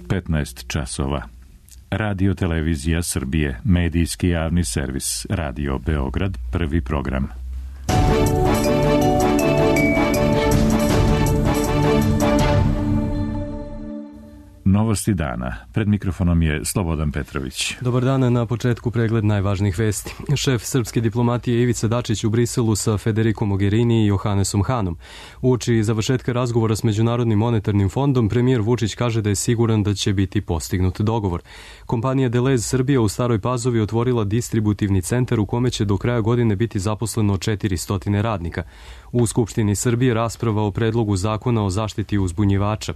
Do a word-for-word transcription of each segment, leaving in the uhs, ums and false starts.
petnaest časova. Radio Televizija Srbije, medijski javni servis, Radio Beograd, prvi program. Novosti dana. Pred mikrofonom je Slobodan Petrović. Dobar dan, na početku pregled najvažnijih vesti. Šef srpske diplomatije Ivica Dačić u Briselu sa Federico Mogherini i Johannesom Hanom. Uoči završetka razgovora s Međunarodnim monetarnim fondom, premijer Vučić kaže da je siguran da će biti postignut dogovor. Kompanija Delez Srbija u Staroj Pazovi otvorila distributivni centar u kome će do kraja godine biti zaposleno četiristo radnika. U Skupštini Srbije rasprava o predlogu zakona o zaštiti uzbunjivača.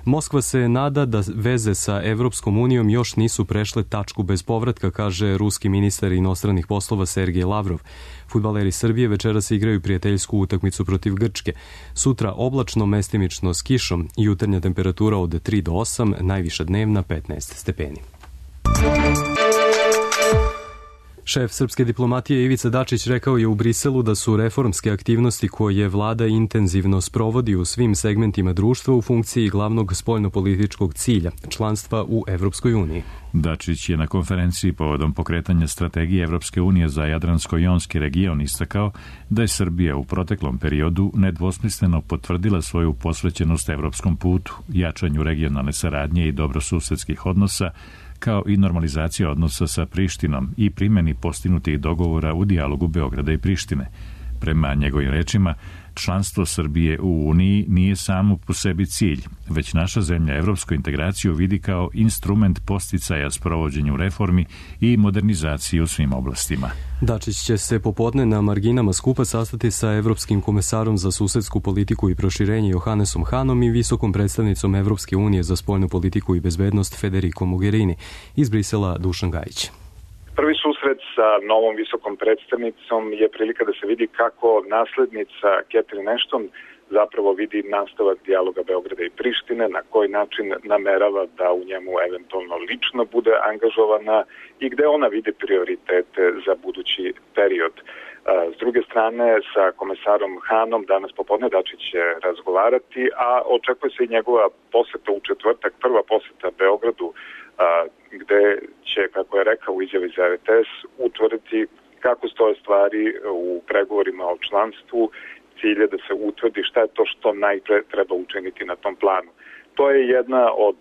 Moskva se nada da veze sa Evropskom unijom još nisu prešle tačku bez povratka, kaže ruski ministar inostranih poslova Sergej Lavrov. Fudbaleri Srbije večeras igraju prijateljsku utakmicu protiv Grčke. Sutra oblačno, mestimično s kišom, jutarnja temperatura od tri do osam, najviša dnevna petnaest stepeni. Šef srpske diplomatije Ivica Dačić rekao je u Briselu da su reformske aktivnosti koje vlada intenzivno sprovodi u svim segmentima društva u funkciji glavnog spoljnopolitičkog cilja, članstva u Evropskoj uniji. Dačić je na konferenciji povodom pokretanja strategije Evropske unije za Jadransko-jonski region istakao da je Srbija u proteklom periodu nedvosmisleno potvrdila svoju posvećenost evropskom putu, jačanju regionalne saradnje i dobrosusedskih odnosa, kao i normalizacija odnosa sa Prištinom i primjeni postignutih dogovora u dijalogu Beograda i Prištine. Prema njegovim rečima, članstvo Srbije u Uniji nije samo po sebi cilj, već naša zemlja evropsku integraciju vidi kao instrument posticaja sprovođenju reformi i modernizaciji u svim oblastima. Dačić će se popodne na marginama skupa sastati sa Evropskim komesarom za susedsku politiku i proširenje Johannesom Hanom i visokom predstavnicom Evropske unije za spoljnu politiku i bezbednost Federico Mogherini. Iz Brisela Dušan Gajić. Prvi susret sa novom visokom predstavnicom je prilika da se vidi kako naslednica Catherine Ashton zapravo vidi nastavak dijaloga Beograda i Prištine, na koji način namerava da u njemu eventualno lično bude angažovana i gde ona vidi prioritete za budući period. S druge strane, sa komesarom Hanom danas popodne Dačić će razgovarati, a očekuje se i njegova poseta u četvrtak, prva poseta Beogradu, gde će, kako je rekao u izjavi za R T S, utvrditi kako stoje stvari u pregovorima o članstvu, cilje da se utvrdi šta je to što najpre treba učiniti na tom planu. To je jedna od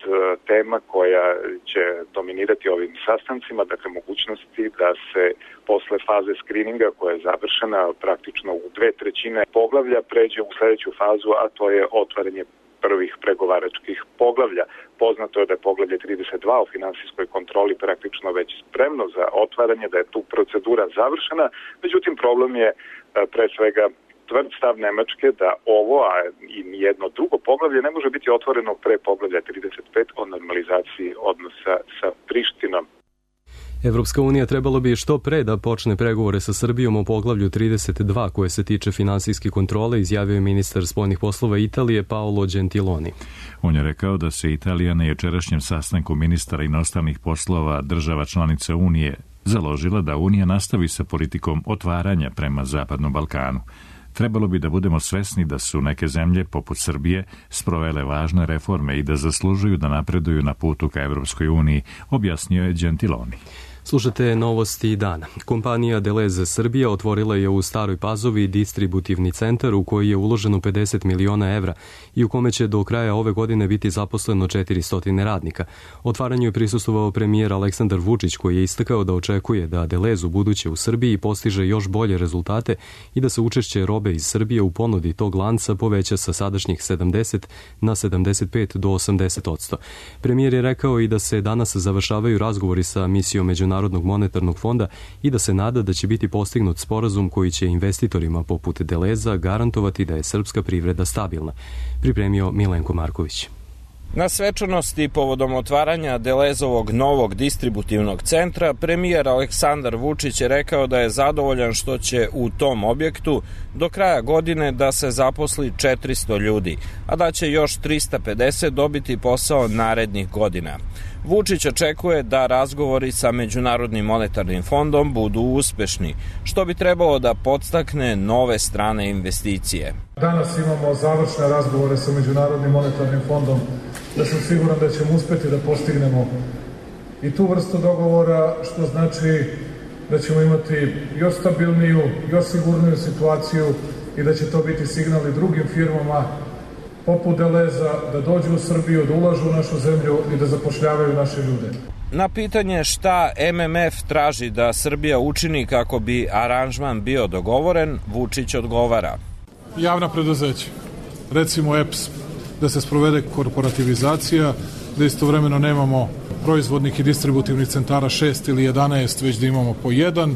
tema koja će dominirati ovim sastancima, dakle mogućnosti da se posle faze skrininga koja je završena praktično u dve trećine poglavlja pređe u sledeću fazu, a to je otvaranje prvih pregovaračkih poglavlja. Poznato je da je poglavlje trideset dva o finansijskoj kontroli praktično već spremno za otvaranje, da je tu procedura završena, međutim problem je pre svega tvrd stav Nemačke da ovo, a i jedno drugo poglavlje ne može biti otvoreno pre poglavlja trideset pet o normalizaciji odnosa sa Prištinom. Evropska unija trebalo bi što pre da počne pregovore sa Srbijom o poglavlju trideset dva koje se tiče finansijske kontrole, izjavio je ministar spoljnih poslova Italije Paolo Gentiloni. On je rekao da se Italija na jučerašnjem sastanku ministara inostranih poslova država članica Unije založila da Unija nastavi sa politikom otvaranja prema Zapadnom Balkanu. Trebalo bi da budemo svesni da su neke zemlje, poput Srbije, sprovele važne reforme i da zaslužuju da napreduju na putu ka Evropskoj uniji, objasnio je Gentiloni. Slušate novosti dana. Kompanija Delez Srbija otvorila je u Staroj Pazovi distributivni centar u koji je uloženo pedeset miliona evra i u kome će do kraja ove godine biti zaposleno četiristo radnika. Otvaranju je prisustvovao premijer Aleksandar Vučić koji je istakao da očekuje da Delez u buduće u Srbiji postiže još bolje rezultate i da se učešće robe iz Srbije u ponudi tog lanca poveća sa sadašnjih sedamdeset na sedamdeset pet do osamdeset odsto. Premijer je rekao i da se danas završavaju razgovori sa misijom Međunarodnog monetarnog fonda i da se nada da će biti postignut sporazum koji će investitorima poput Deleza garantovati da je srpska privreda stabilna, pripremio Milenko Marković. Na svečanosti povodom otvaranja Delezovog novog distributivnog centra, premijer Aleksandar Vučić je rekao da je zadovoljan što će u tom objektu do kraja godine da se zaposli četiristo ljudi, a da će još trista pedeset dobiti posao narednih godina. Vučić očekuje da razgovori sa Međunarodnim monetarnim fondom budu uspešni, što bi trebalo da podstakne nove strane investicije. Danas imamo završne razgovore sa Međunarodnim monetarnim fondom, da sam siguran da ćemo uspeti da postignemo i tu vrstu dogovora, što znači da ćemo imati još stabilniju, još sigurniju situaciju i da će to biti signal i drugim firmama poput Deleza da dođu u Srbiju, da ulažu u našu zemlju i da zapošljavaju naše ljude. Na pitanje šta M M F traži da Srbija učini kako bi aranžman bio dogovoren, Vučić odgovara. Javna preduzeća, recimo E P S, da se sprovede korporativizacija, da istovremeno nemamo proizvodnih i distributivnih centara šest ili jedanaest, već da imamo po jedan,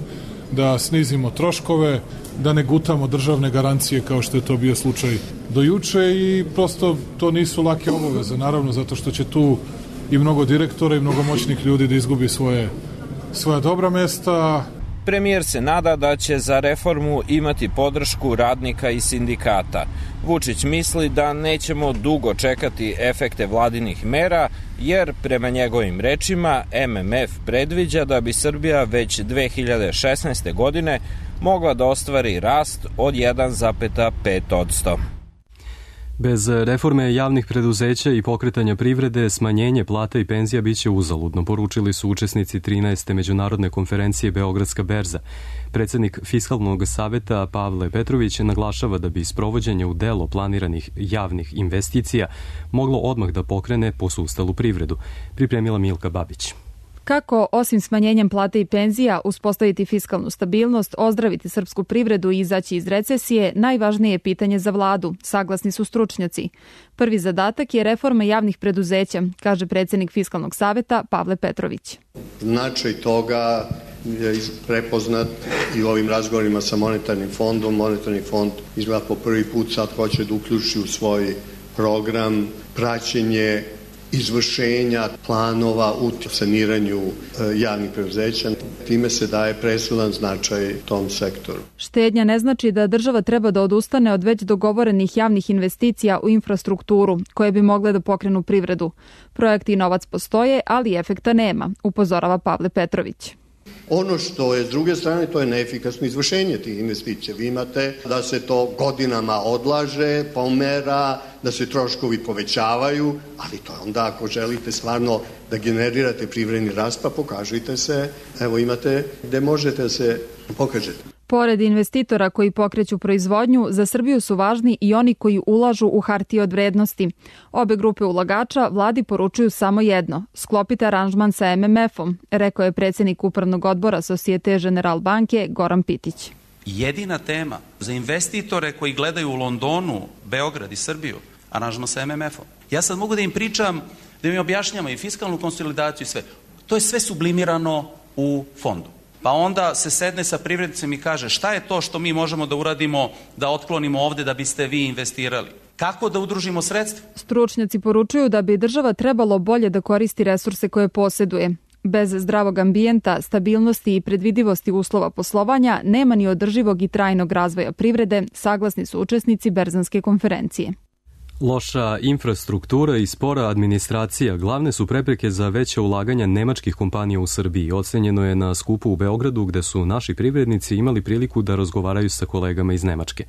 da snizimo troškove, da ne gutamo državne garancije kao što je to bio slučaj do juče i prosto to nisu lake obaveze, naravno, zato što će tu i mnogo direktora i mnogo moćnih ljudi da izgubi svoje, svoja dobra mesta. Premijer se nada da će za reformu imati podršku radnika i sindikata. Vučić misli da nećemo dugo čekati efekte vladinih mera, jer prema njegovim rečima M M F predviđa da bi Srbija već dve hiljade šesnaeste. godine mogla da ostvari rast od jedan zarez pet posto. Bez reforme javnih preduzeća i pokretanja privrede, smanjenje plata i penzija biće uzaludno, poručili su učesnici trinaeste međunarodne konferencije Beogradska berza. Predsednik Fiskalnog saveta Pavle Petrović naglašava da bi sprovođenje u delo planiranih javnih investicija moglo odmah da pokrene posustalu privredu. Pripremila Milka Babić. Kako, osim smanjenjem plate i penzija, uspostaviti fiskalnu stabilnost, ozdraviti srpsku privredu i izaći iz recesije, najvažnije je pitanje za vladu, saglasni su stručnjaci. Prvi zadatak je reforma javnih preduzeća, kaže predsednik Fiskalnog saveta Pavle Petrović. Značaj toga je prepoznat i u ovim razgovorima sa monetarnim fondom. Monetarni fond izgleda po prvi put sad hoće da uključi u svoj program praćenje izvršenja planova u saniranju javnih preduzeća. Time se daje presudan značaj tom sektoru. Štednja ne znači da država treba da odustane od već dogovorenih javnih investicija u infrastrukturu, koje bi mogle da pokrenu privredu. Projekti i novac postoje, ali efekta nema, upozorava Pavle Petrović. Ono što je s druge strane, to je neefikasno izvršenje tih investicija. Vi imate da se to godinama odlaže, pomera, da se troškovi povećavaju, ali to je onda ako želite stvarno da generirate privredni rast, pa pokažite se, evo imate gde možete da se pokažete. Pored investitora koji pokreću proizvodnju, za Srbiju su važni i oni koji ulažu u hartije od vrednosti. Obe grupe ulagača vladi poručuju samo jedno – sklopite aranžman sa M M F-om, rekao je predsednik upravnog odbora Societe Generale banke Goran Pitić. Jedina tema za investitore koji gledaju u Londonu, Beograd i Srbiju, aranžman sa M M F-om. Ja sad mogu da im pričam, da im objašnjamo i fiskalnu konsolidaciju i sve. To je sve sublimirano u fondu. Pa onda se sedne sa privrednicima i kaže šta je to što mi možemo da uradimo da otklonimo ovde da biste vi investirali? Kako da udružimo sredstva? Stručnjaci poručuju da bi država trebalo bolje da koristi resurse koje posjeduje. Bez zdravog ambijenta, stabilnosti i predvidivosti uslova poslovanja nema ni održivog i trajnog razvoja privrede, saglasni su učesnici Berzanske konferencije. Loša infrastruktura i spora administracija glavne su prepreke za veće ulaganja nemačkih kompanija u Srbiji. Ocenjeno je na skupu u Beogradu gde su naši privrednici imali priliku da razgovaraju sa kolegama iz Nemačke.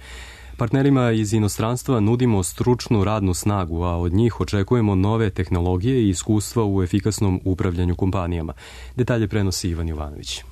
Partnerima iz inostranstva nudimo stručnu radnu snagu, a od njih očekujemo nove tehnologije i iskustva u efikasnom upravljanju kompanijama. Detalje prenosi Ivan Jovanović.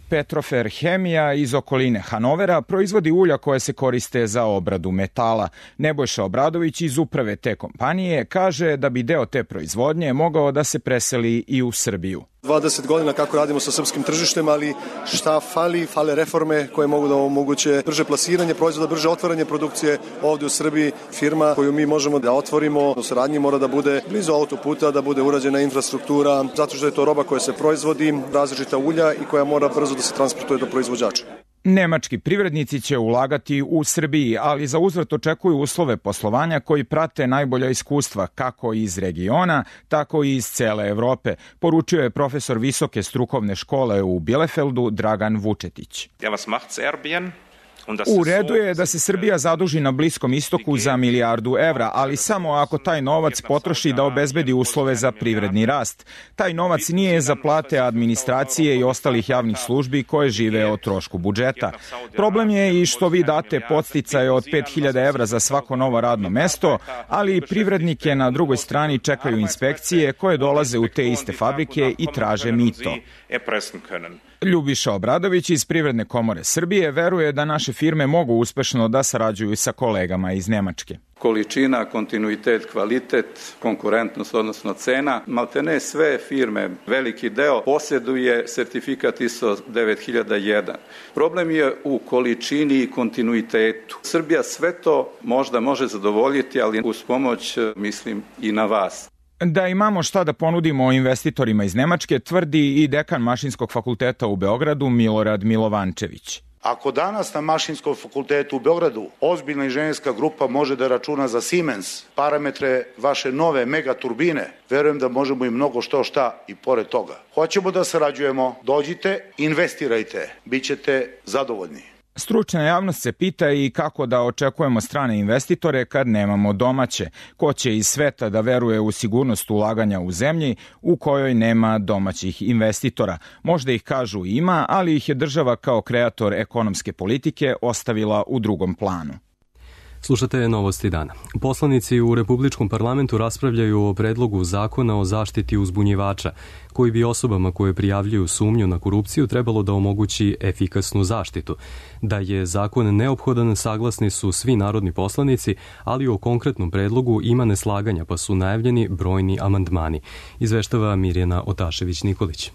Petrofer Hemija iz okoline Hanovera proizvodi ulja koje se koriste za obradu metala. Nebojša Obradović iz uprave te kompanije kaže da bi deo te proizvodnje mogao da se preseli i u Srbiju. dvadeset godina kako radimo sa srpskim tržištem, ali šta fali? Fale reforme koje mogu da omoguće brže plasiranje proizvoda, brže otvaranje produkcije ovde u Srbiji. Firma koju mi možemo da otvorimo u saradnji mora da bude blizu autoputa, da bude urađena infrastruktura, zato što je to roba koja se proizvodi, različita ulja i koja mora brzo da se transportuje do proizvođača. Nemački privrednici će ulagati u Srbiji, ali za uzvrat očekuju uslove poslovanja koji prate najbolja iskustva kako iz regiona, tako i iz cele Evrope, poručio je profesor visoke strukovne škole u Bielefeldu Dragan Vučetić. Ja, was macht Serbien? U redu je da se Srbija zaduži na Bliskom istoku za milijardu evra, ali samo ako taj novac potroši da obezbedi uslove za privredni rast. Taj novac nije za plate administracije i ostalih javnih službi koje žive od trošku budžeta. Problem je i što vi date podsticaje od pet hiljada evra za svako novo radno mesto, ali i privrednike na drugoj strani čekaju inspekcije koje dolaze u te iste fabrike i traže mito. Ljubiša Obradović iz Privredne komore Srbije veruje da naše firme mogu uspešno da sarađuju sa kolegama iz Nemačke. Količina, kontinuitet, kvalitet, konkurentnost, odnosno cena. Maltene sve firme, veliki deo, posjeduje sertifikat I S O devet hiljada jedan. Problem je u količini i kontinuitetu. Srbija sve to možda može zadovoljiti, ali uz pomoć, mislim, i na vas. Da imamo šta da ponudimo investitorima iz Nemačke, tvrdi i dekan Mašinskog fakulteta u Beogradu Milorad Milovančević. Ako danas na Mašinskom fakultetu u Beogradu ozbiljna inženjerska grupa može da računa za Siemens parametre vaše nove megaturbine, verujem da možemo i mnogo što šta i pored toga. Hoćemo da sarađujemo, dođite, investirajte, bit ćete zadovoljni. Stručna javnost se pita i kako da očekujemo strane investitore kad nemamo domaće. Ko će iz sveta da veruje u sigurnost ulaganja u zemlji u kojoj nema domaćih investitora? Možda ih kažu ima, ali ih je država kao kreator ekonomske politike ostavila u drugom planu. Slušate Novosti dana. Poslanici u Republičkom parlamentu raspravljaju o predlogu zakona o zaštiti uzbunjivača, koji bi osobama koje prijavljuju sumnju na korupciju trebalo da omogući efikasnu zaštitu. Da je zakon neophodan, saglasni su svi narodni poslanici, ali o konkretnom predlogu ima neslaganja, pa su najavljeni brojni amandmani. Izveštava Mirjana Otašević-Nikolić.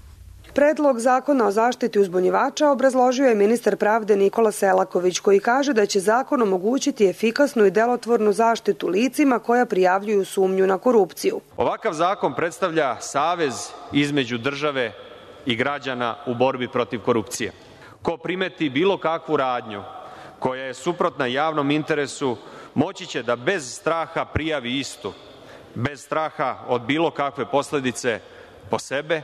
Predlog zakona o zaštiti uzbunjivača obrazložio je ministar pravde Nikola Selaković, koji kaže da će zakon omogućiti efikasnu i delotvornu zaštitu licima koja prijavljuju sumnju na korupciju. Ovakav zakon predstavlja savez između države i građana u borbi protiv korupcije. Ko primeti bilo kakvu radnju koja je suprotna javnom interesu, moći će da bez straha prijavi istu, bez straha od bilo kakve posledice po sebe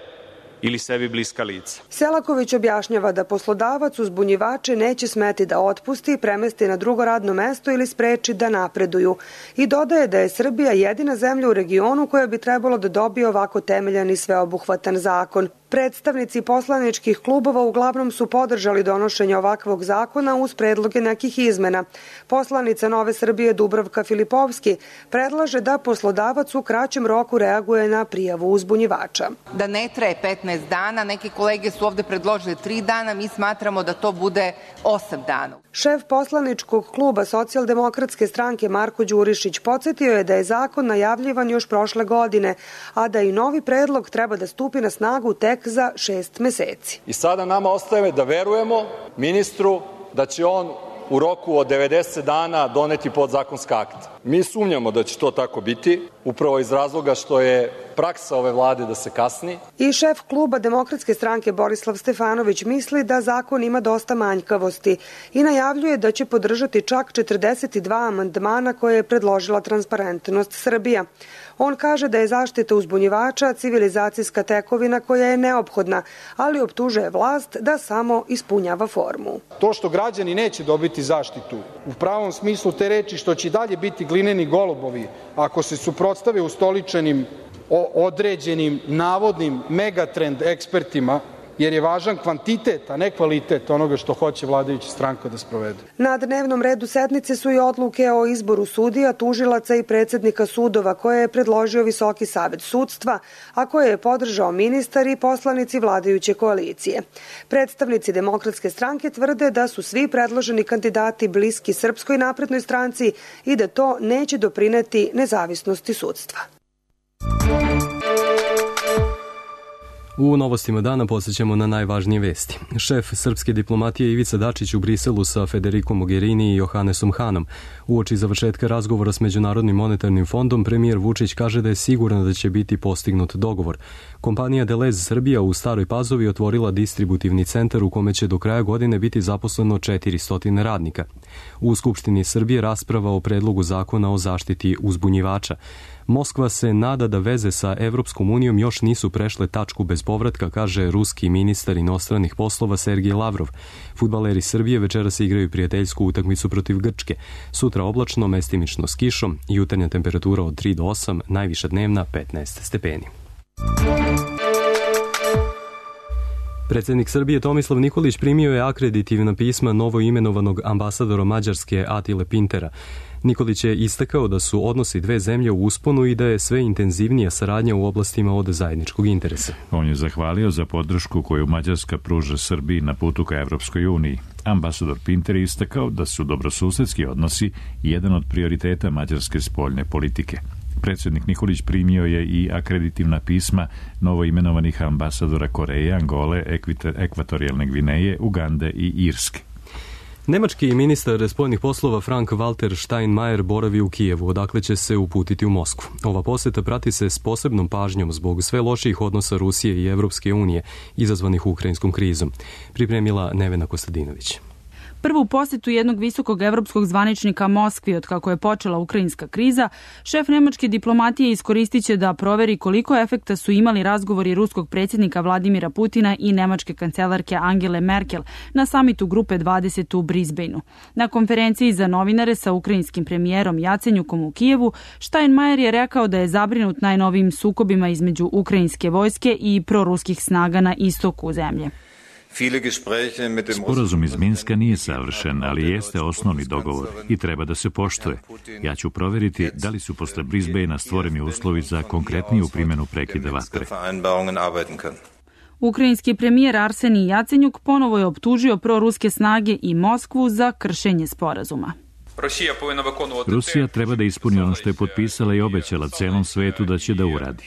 ili sebi bliska lica. Selaković objašnjava da poslodavac uzbunjivače neće smeti da otpusti, premesti na drugo radno mesto ili spreči da napreduju. I dodaje da je Srbija jedina zemlja u regionu koja bi trebalo da dobije ovako temeljan i sveobuhvatan zakon. Predstavnici poslaničkih klubova uglavnom su podržali donošenje ovakvog zakona uz predloge nekih izmena. Poslanica Nove Srbije Dubravka Filipovski predlaže da poslodavac u kraćem roku reaguje na prijavu uzbunjivača. Da ne traje petnaest dana, neke kolege su ovde predložili tri dana, mi smatramo da to bude osam dana. Šef poslaničkog kluba Socijaldemokratske stranke Marko Đurišić podsjetio je da je zakon najavljivan još prošle godine, a da i novi predlog treba da stupi na snagu tek za šest meseci. I sada nama ostaje da verujemo ministru da će on u roku od devedeset dana doneti podzakonska akta. Mi sumnjamo da će to tako biti, upravo iz razloga što je praksa ove vlade da se kasni. I šef kluba Demokratske stranke Borislav Stefanović misli da zakon ima dosta manjkavosti i najavljuje da će podržati čak četrdeset dva amandmana koje je predložila Transparentnost Srbija. On kaže da je zaštita uzbunjivača civilizacijska tekovina koja je neophodna, ali optužuje vlast da samo ispunjava formu. To što građani neće dobiti zaštitu u pravom smislu te reči, što će dalje biti glineni golubovi ako se suprotstave ustoličenim određenim navodnim megatrend ekspertima, jer je važan kvantitet, a ne kvalitet onoga što hoće vladajuća stranka da sprovede. Na dnevnom redu sednice su i odluke o izboru sudija, tužilaca i predsednika sudova koje je predložio Visoki savet sudstva, a koje je podržao ministar i poslanici vladajuće koalicije. Predstavnici Demokratske stranke tvrde da su svi predloženi kandidati bliski Srpskoj naprednoj stranci i da to neće doprineti nezavisnosti sudstva. U novostima dana posjećamo na najvažnije vesti. Šef srpske diplomatije Ivica Dačić u Briselu sa Federikom Mogherini i Johannesom Hanom. Uoči završetka razgovora s Međunarodnim monetarnim fondom, premijer Vučić kaže da je siguran da će biti postignut dogovor. Kompanija Delez Srbija u Staroj Pazovi otvorila distributivni centar u kome će do kraja godine biti zaposleno četiristo radnika. U Skupštini Srbije rasprava o predlogu zakona o zaštiti uzbunjivača. Moskva se nada da veze sa Evropskom unijom još nisu prešle tačku bez povratka, kaže ruski ministar inostranih poslova Sergej Lavrov. Fudbaleri Srbije večeras igraju prijateljsku utakmicu protiv Grčke. Sutra oblačno, mestimično s kišom, jutarnja temperatura od tri do osam, najviša dnevna petnaest stepeni. Predsjednik Srbije Tomislav Nikolić primio je akreditivna pisma novoimenovanog ambasadora Mađarske Atile Pintera. Nikolić je istakao da su odnosi dve zemlje u usponu i da je sve intenzivnija saradnja u oblastima od zajedničkog interesa. On je zahvalio za podršku koju Mađarska pruža Srbiji na putu ka Evropskoj uniji. Ambasador Pinter je istakao da su dobrosusedski odnosi jedan od prioriteta mađarske spoljne politike. Predsjednik Nikolić primio je i akreditivna pisma novoimenovanih ambasadora Koreje, Angole, Ekvatorijalne Gvineje, Ugande i Irske. Nemački ministar spoljnih poslova Frank-Walter Steinmeier boravi u Kijevu, odakle će se uputiti u Moskvu. Ova poseta prati se s posebnom pažnjom zbog sve lošijih odnosa Rusije i Evropske unije, izazvanih ukrajinskom krizom. Pripremila Nevena Kostadinović. Prvu posjetu jednog visokog evropskog zvaničnika Moskvi od kako je počela ukrajinska kriza, šef nemačke diplomatije iskoristit će da proveri koliko efekta su imali razgovori ruskog predsjednika Vladimira Putina i nemačke kancelarke Angele Merkel na samitu Grupe dvadeset u Brisbaneu. Na konferenciji za novinare sa ukrajinskim premijerom Jacenjukom u Kijevu, Steinmeier je rekao da je zabrinut najnovijim sukobima između ukrajinske vojske i proruskih snaga na istoku zemlje. Sporazum iz Minska nije savršen, ali jeste osnovni dogovor i treba da se poštuje. Ja ću provjeriti da li su posle Brisbanea stvoreni uslovi za konkretniju primjenu prekida vatre. Ukrajinski premijer Arsenij Jacenjuk ponovo je optužio proruske snage i Moskvu za kršenje sporazuma. Rusija treba da ispuni ono što je potpisala i obećala celom svetu da će da uradi.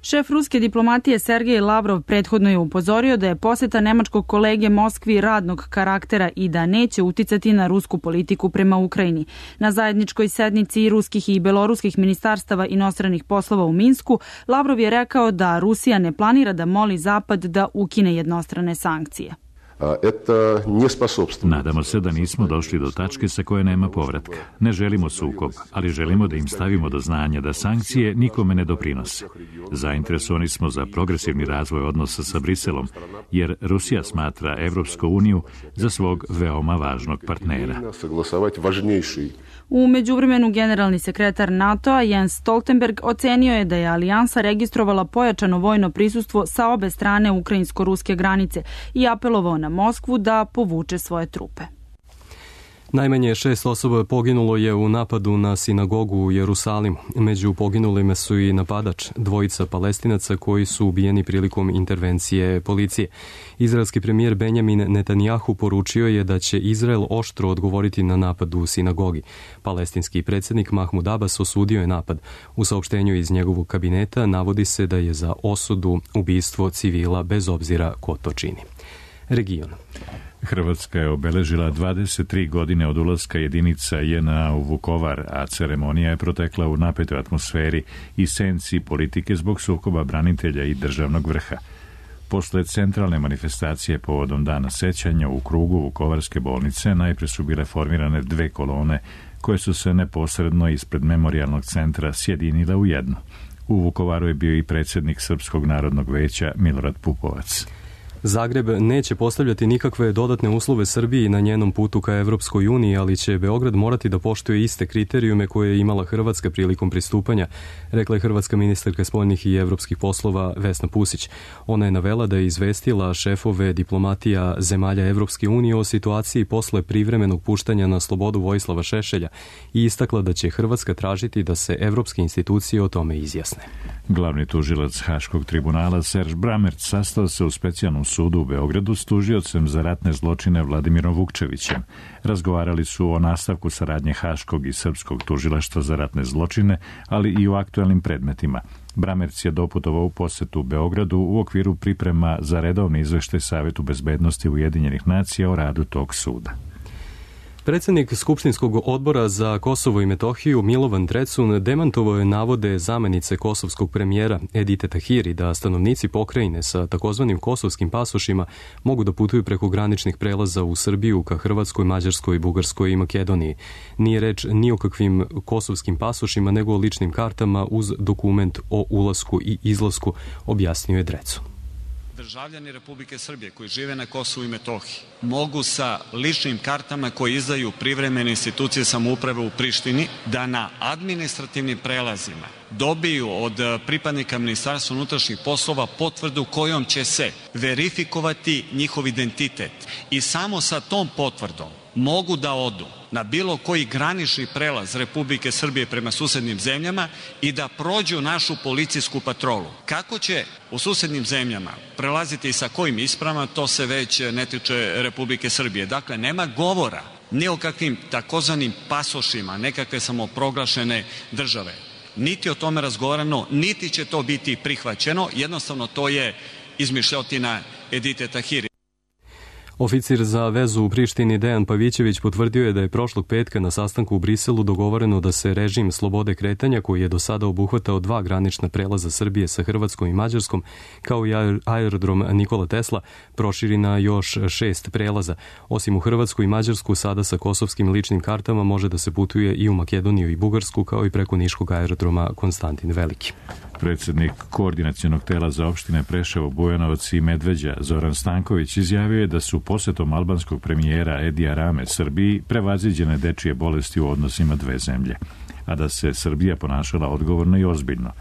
Šef ruske diplomatije Sergej Lavrov prethodno je upozorio da je posjeta nemačkog kolege Moskvi radnog karaktera i da neće uticati na rusku politiku prema Ukrajini. Na zajedničkoj sednici ruskih i beloruskih ministarstava inostranih poslova u Minsku, Lavrov je rekao da Rusija ne planira da moli Zapad da ukine jednostrane sankcije. Nadamo se da nismo došli do tačke sa koje nema povratka. Ne želimo sukob, ali želimo da im stavimo do znanja da sankcije nikome ne doprinose. Zainteresovani smo za progresivni razvoj odnosa sa Briselom, jer Rusija smatra Evropsku uniju za svog veoma važnog partnera. U međuvremenu generalni sekretar NATO-a Jens Stoltenberg ocenio je da je alijansa registrovala pojačano vojno prisustvo sa obe strane ukrajinsko-ruske granice i apelovao na Moskvu da povuče svoje trupe. Najmanje šest osoba poginulo je u napadu na sinagogu u Jerusalimu. Među poginulima su i napadač, dvojica Palestinaca koji su ubijeni prilikom intervencije policije. Izraelski premijer Benjamin Netanjahu poručio je da će Izrael oštro odgovoriti na napad u sinagogi. Palestinski predsjednik Mahmud Abbas osudio je napad. U saopštenju iz njegovog kabineta navodi se da je za osudu ubistvo civila bez obzira ko to čini. Region. Hrvatska je obeležila dvadeset tri godine od ulaska jedinica J N A u Vukovar, a ceremonija je protekla u napetoj atmosferi i senci politike zbog sukoba branitelja i državnog vrha. Posle centralne manifestacije povodom dana sećanja u krugu Vukovarske bolnice najpre su bile formirane dve kolone koje su se neposredno ispred memorijalnog centra sjedinile u jednu. U Vukovaru je bio i predsjednik Srpskog narodnog veća Milorad Pupovac. Zagreb neće postavljati nikakve dodatne uslove Srbiji na njenom putu ka Evropskoj uniji, ali će Beograd morati da poštuje iste kriterijume koje je imala Hrvatska prilikom pristupanja, rekla je hrvatska ministarka spoljnih i evropskih poslova Vesna Pusić. Ona je navela da je izvestila šefove diplomatija zemalja Evropske unije o situaciji posle privremenog puštanja na slobodu Vojislava Šešelja i istakla da će Hrvatska tražiti da se evropske institucije o tome izjasne. Glavni tužilac Haškog tribunala Serž Bramerc sastao se u specijalnom sudu u Beogradu s tužiocem za ratne zločine Vladimirom Vukčevićem. Razgovarali su o nastavku saradnje Haškog i Srpskog tužilaštva za ratne zločine, ali i o aktuelnim predmetima. Bramerc je doputovao u posetu u Beogradu u okviru priprema za redovni izveštaj Savetu bezbednosti Ujedinjenih nacija o radu tog suda. Predsednik Skupštinskog odbora za Kosovo i Metohiju Milovan Drecun demantovao je navode zamenice kosovskog premijera Edite Tahiri da stanovnici pokrajine sa takozvanim kosovskim pasošima mogu da putuju preko graničnih prelaza u Srbiju ka Hrvatskoj, Mađarskoj, Bugarskoj i Makedoniji. Nije reč ni o kakvim kosovskim pasošima, nego o ličnim kartama uz dokument o ulasku i izlasku, objasnio je Drecun. Državljani Republike Srbije koji žive na Kosovu i Metohiji mogu sa ličnim kartama koje izdaju privremene institucije samouprave u Prištini da na administrativnim prelazima dobiju od pripadnika Ministarstva unutrašnjih poslova potvrdu kojom će se verifikovati njihov identitet i samo sa tom potvrdom mogu da odu na bilo koji granični prelaz Republike Srbije prema susednim zemljama i da prođu našu policijsku patrolu. Kako će u susednim zemljama prelaziti i sa kojim ispravama, to se već ne tiče Republike Srbije. Dakle, nema govora ni o kakvim takozvanim pasošima nekakve samoproglašene države. Niti o tome razgovarano, niti će to biti prihvaćeno. Jednostavno, to je izmišljotina Edite Tahiri. Oficir za vezu u Prištini Dejan Pavićević potvrdio je da je prošlog petka na sastanku u Briselu dogovoreno da se režim slobode kretanja, koji je do sada obuhvatao dva granična prelaza Srbije sa Hrvatskom i Mađarskom, kao i aerodrom Nikola Tesla, proširi na još šest prelaza. Osim u Hrvatsku i Mađarsku, sada sa kosovskim ličnim kartama može da se putuje i u Makedoniju i Bugarsku, kao i preko niškog aerodroma Konstantin Veliki. Predsednik Koordinacionog tela za opštine Preševo, Bujanovac i Medveđa Zoran Stanković izjavio je da su posetom albanskog premijera Edija Rame Srbiji prevaziđene dečije bolesti u odnosima dve zemlje, a da se Srbija ponašala odgovorno i ozbiljno.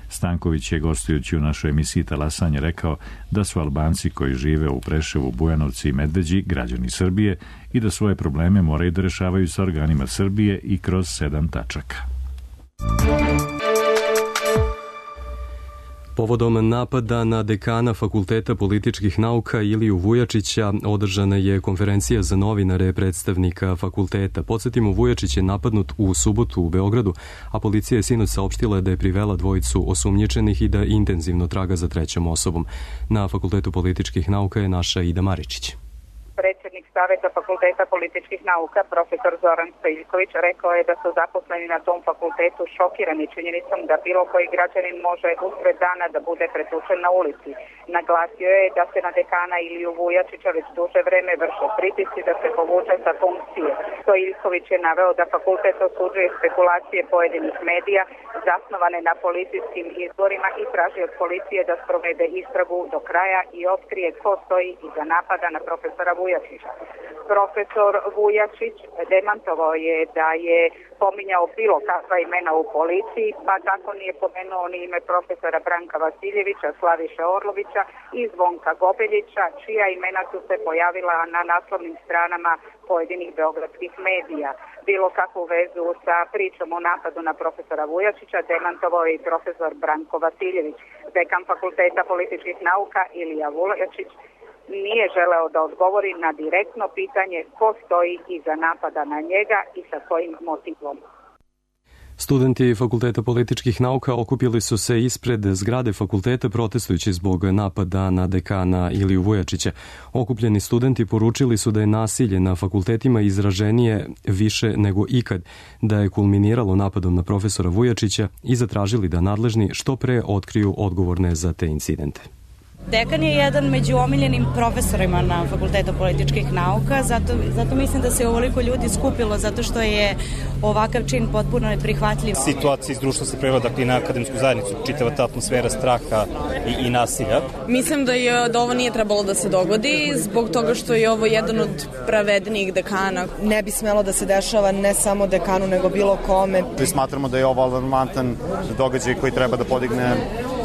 Stanković je, gostujući u našoj emisiji Talasanje, rekao da su Albanci koji žive u Preševu, Bujanovci i Medveđi građani Srbije i da svoje probleme moraju da rešavaju sa organima Srbije i kroz sedam tačaka. Povodom napada na dekana Fakulteta političkih nauka Iliju Vujačića održana je konferencija za novinare predstavnika fakulteta. Podsjetimo, Vujačić je napadnut u subotu u Beogradu, a policija je sinoć saopštila da je privela dvojicu osumnjičenih i da intenzivno traga za trećom osobom. Na Fakultetu političkih nauka je naša Ida Maričić. Predsednik Saveta Fakulteta političkih nauka, profesor Zoran Stojiljković, rekao je da su zaposleni na tom fakultetu šokirani činjenicom da bilo koji građanin može usred dana da bude pretučen na ulici. Naglasio je da se na dekana Iliju Vujačića već duže vreme vrše pritisci da se povuče sa funkcije. Stojiljković je naveo da fakultet osuđuje spekulacije pojedinih medija zasnovane na policijskim izborima i traži od policije da sprovede istragu do kraja i otkrije ko stoji iza napada na profesora Vujačića. Profesor Vujačić demantovao je da je pominjao bilo kakva imena u policiji, pa tako nije pomenuo ni ime profesora Branka Vasiljevića, Slaviše Orlovića i Zvonka Gobeljića, čija imena su se pojavila na naslovnim stranama pojedinih beogradskih medija. Bilo kakvu vezu sa pričom o napadu na profesora Vujačića demantovao je i profesor Branko Vasiljević. Dekan Fakulteta političkih nauka Ilija Vujačić nije želeo da odgovori na direktno pitanje ko stoji iza napada na njega i sa kojim motivom. Studenti Fakulteta političkih nauka okupili su se ispred zgrade fakulteta protestujući zbog napada na dekana Iliju Vujačića. Okupljeni studenti poručili su da je nasilje na fakultetima izraženije više nego ikad, da je kulminiralo napadom na profesora Vujačića i zatražili da nadležni što pre otkriju odgovorne za te incidente. Dekan je jedan među omiljenim profesorima na Fakultetu političkih nauka, zato, zato mislim da se ovoliko ljudi skupilo, zato što je ovakav čin potpuno neprihvatljiv. Situacija iz društva se prevela dakle, na akademsku zajednicu, čitava ta atmosfera straha i, i nasilja. Mislim da, je, da ovo nije trebalo da se dogodi, zbog toga što je ovo jedan od pravednijih dekana. Ne bi smelo da se dešava ne samo dekanu, nego bilo kome. Mi smatramo da je ovo alarmantan događaj koji treba da podigne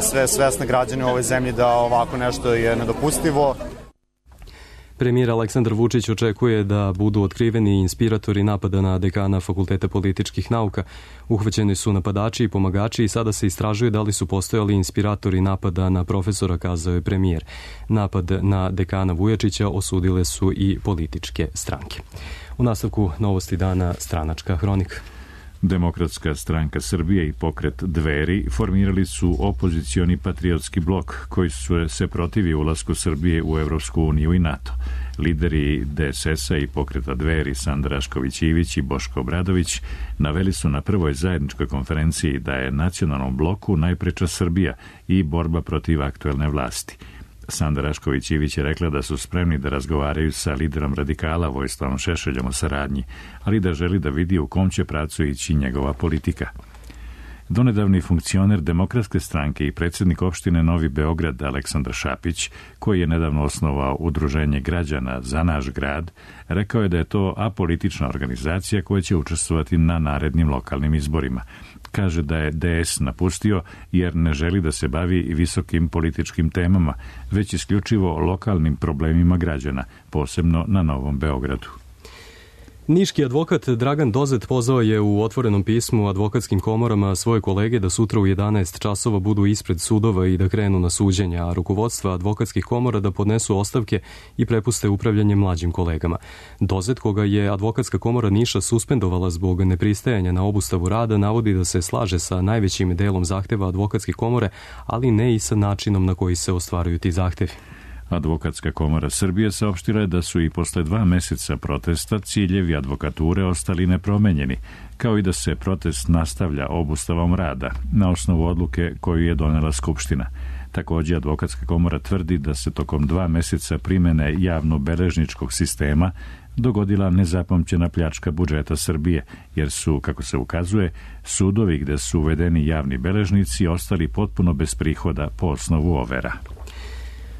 sve svesne građane u ovoj zemlji da ovako nešto je nedopustivo. Premijer Aleksandar Vučić očekuje da budu otkriveni inspiratori napada na dekana Fakulteta političkih nauka. Uhvaćeni su napadači i pomagači i sada se istražuje da li su postojali inspiratori napada na profesora, kazao je premijer. Napad na dekana Vujačića osudile su i političke stranke. U nastavku novosti dana stranačka hronika. Demokratska stranka Srbije i pokret Dveri formirali su opozicioni patriotski blok koji su se protivi ulasku Srbije u Evropsku uniju i NATO. Lideri D S S-a i pokreta Dveri Sanda Rašković-Ivić i Boško Obradović naveli su na prvoj zajedničkoj konferenciji da je nacionalnom bloku najpreča Srbija i borba protiv aktuelne vlasti. Sanda Rašković-Ivić je rekla da su spremni da razgovaraju sa liderom radikala Vojislavom Šešeljom o saradnji, ali da želi da vidi u kom će pravcu ići njegova politika. Donedavni funkcioner Demokratske stranke i predsjednik opštine Novi Beograd Aleksandar Šapić, koji je nedavno osnovao Udruženje građana za naš grad, rekao je da je to apolitična organizacija koja će učestvovati na narednim lokalnim izborima. Kaže da je D S napustio jer ne želi da se bavi visokim političkim temama, već isključivo lokalnim problemima građana, posebno na Novom Beogradu. Niški advokat Dragan Dozet pozvao je u otvorenom pismu advokatskim komorama svoje kolege da sutra u jedanaest časova budu ispred sudova i da krenu na suđenja, a rukovodstva advokatskih komora da podnesu ostavke i prepuste upravljanje mlađim kolegama. Dozet, koga je advokatska komora Niša suspendovala zbog nepristajanja na obustavu rada, navodi da se slaže sa najvećim delom zahteva advokatske komore, ali ne i sa načinom na koji se ostvaruju ti zahtevi. Advokatska komora Srbije saopštila je da su i posle dva meseca protesta ciljevi advokature ostali nepromenjeni, kao i da se protest nastavlja obustavom rada na osnovu odluke koju je donela Skupština. Također, advokatska komora tvrdi da se tokom dva meseca primene javno-beležničkog sistema dogodila nezapamćena pljačka budžeta Srbije, jer su, kako se ukazuje, sudovi gde su uvedeni javni beležnici ostali potpuno bez prihoda po osnovu overa.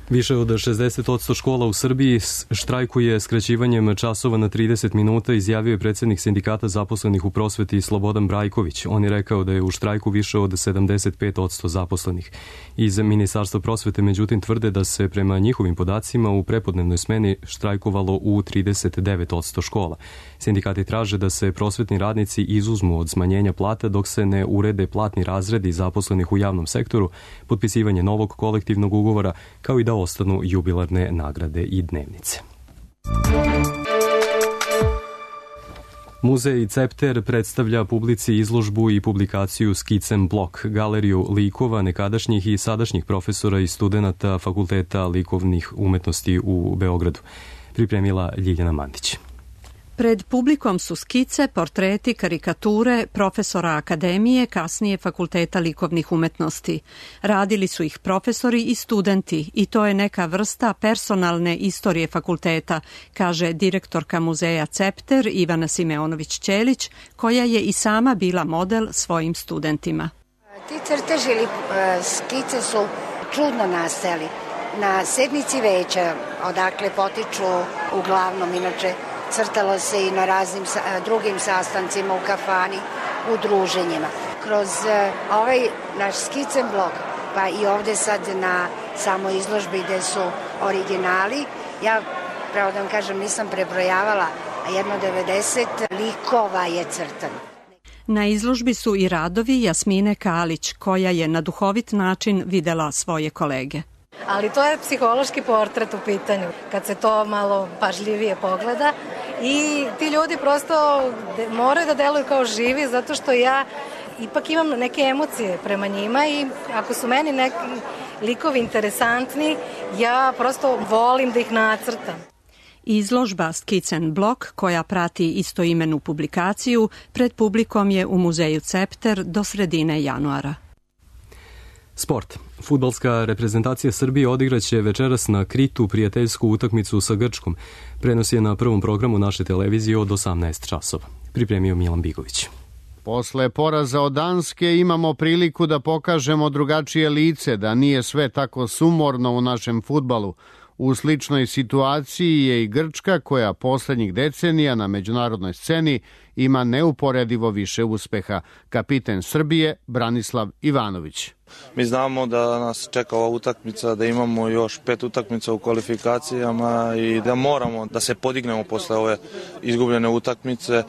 Više od šezdeset posto škola u Srbiji štrajkuje skraćivanjem časova na trideset minuta, izjavio je predsjednik sindikata zaposlenih u prosveti Slobodan Brajković. On je rekao da je u štrajku više od sedamdeset pet posto zaposlenih. Iz Ministarstva prosvete, međutim, tvrde da se prema njihovim podacima u prepodnevnoj smeni štrajkovalo u trideset devet posto škola. Sindikati traže da se prosvetni radnici izuzmu od smanjenja plata dok se ne urede platni razredi zaposlenih u javnom sektoru, potpisivanje novog kolektivnog ugovora, kao i da ostanu jubilarne nagrade i dnevnice. Muzej Cepter predstavlja publici izložbu i publikaciju Skicen blok, galeriju likova nekadašnjih i sadašnjih profesora i studenata Fakulteta likovnih umetnosti u Beogradu. Pripremila Ljiljana Mandić. Pred publikom su skice, portreti, karikature profesora akademije, kasnije Fakulteta likovnih umetnosti. Radili su ih profesori i studenti i to je neka vrsta personalne istorije fakulteta, kaže direktorka muzeja Cepter Ivana Simeonović-Ćelić, koja je i sama bila model svojim studentima. Ti crteži ili skice su čudno nastali. Na sednici veća, odakle potiču uglavnom, inače crtalo se i na raznim drugim sastancima u kafani, u druženjima. Kroz ovaj naš skicen blok, pa i ovde sad na samoj izložbi gde su originali, ja, pravo da vam kažem, nisam prebrojavala, a jedno devedeset likova je crtano. Na izložbi su i radovi Jasmine Kalić, koja je na duhovit način videla svoje kolege. Ali to je psihološki portret u pitanju, kad se to malo pažljivije pogleda i ti ljudi prosto moraju da deluju kao živi, zato što ja ipak imam neke emocije prema njima i ako su meni neki likovi interesantni, ja prosto volim da ih nacrtam. Izložba Skicen blok, koja prati istoimenu publikaciju, pred publikom je u muzeju Cepter do sredine januara. Sport. Fudbalska reprezentacija Srbije odigraće večeras na Kritu prijateljsku utakmicu sa Grčkom. Prenos je na prvom programu naše televizije od osamnaest časova. Pripremio Milan Bigović. Posle poraza od Danske imamo priliku da pokažemo drugačije lice, da nije sve tako sumorno u našem fudbalu. U sličnoj situaciji je i Grčka, koja poslednjih decenija na međunarodnoj sceni ima neuporedivo više uspeha. Kapiten Srbije Branislav Ivanović. Mi znamo da nas čeka ova utakmica, da imamo još pet utakmica u kvalifikacijama i da moramo da se podignemo posle ove izgubljene utakmice. E,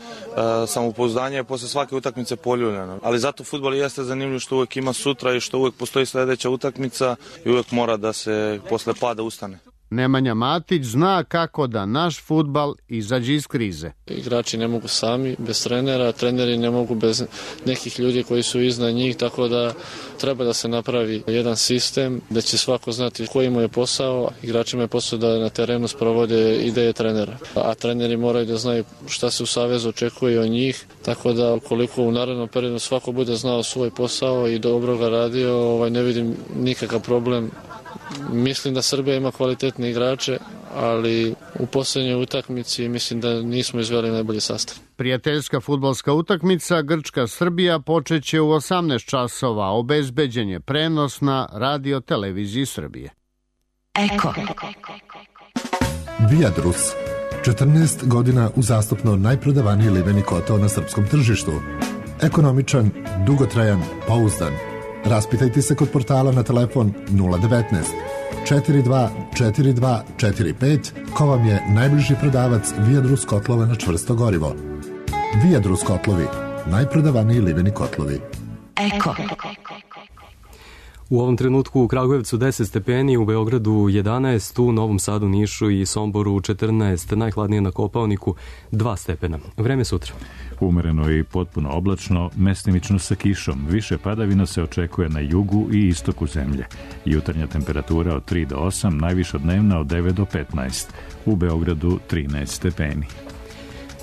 samopouzdanje je posle svake utakmice poljuljeno. Ali zato fudbal jeste zanimljiv što uvek ima sutra i što uvek postoji sledeća utakmica i uvek mora da se posle pada ustane. Nemanja Matić zna kako da naš fudbal izađe iz krize. Igrači ne mogu sami, bez trenera, treneri ne mogu bez nekih ljudi koji su iznad njih, tako da treba da se napravi jedan sistem da će svako znati koji mu je posao, igračima je posao da na terenu sprovode ideje trenera. A treneri moraju da znaju šta se u savezu očekuje od njih, tako da ukoliko u narednom periodu svako bude znao svoj posao i dobro ga radio, ovaj, ne vidim nikakav problem. Mislim da Srbija ima kvalitetne igrače, ali u posljednjoj utakmici mislim da nismo izveli najbolji sastav. Prijateljska fudbalska utakmica Grčka-Srbija počeće u osamnaest časova. Obezbeđen je prenos na Radio Televiziji Srbije. Eko. Viadrus. četrnaest godina uzastopno najprodavaniji liveni kotao na srpskom tržištu. Ekonomičan, dugotrajan, pouzdan. Raspitajte se kod portala na telefon nula devetnaest četiri dva četiri dva četiri pet ko vam je najbliži prodavac Viadrus kotlova na čvrsto gorivo. Viadrus kotlovi, najprodavaniji liveni kotlovi. Eko. U ovom trenutku u Kragujevcu deset stepeni, u Beogradu jedanaest, u Novom Sadu, Nišu i Somboru četrnaest, najhladnije na Kopaoniku dva stepena. Vreme sutra. Umereno i potpuno oblačno, mestimično sa kišom. Više padavina se očekuje na jugu i istoku zemlje. Jutarnja temperatura od tri do osam, najviša dnevna od devet do petnaest. U Beogradu trinaest stepeni.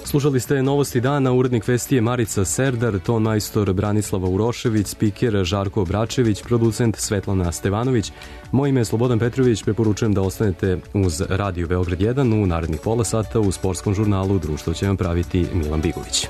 Slušali ste novosti dana, urednik vesti je Marica Serdar, ton majstor Branislava Urošević, spiker Žarko Bračević, producent Svetlana Stevanović. Moje ime je Slobodan Petrović, preporučujem da ostanete uz Radio Beograd jedan u narednih pola sata u sportskom žurnalu. Društvo će vam praviti Milan Bigović.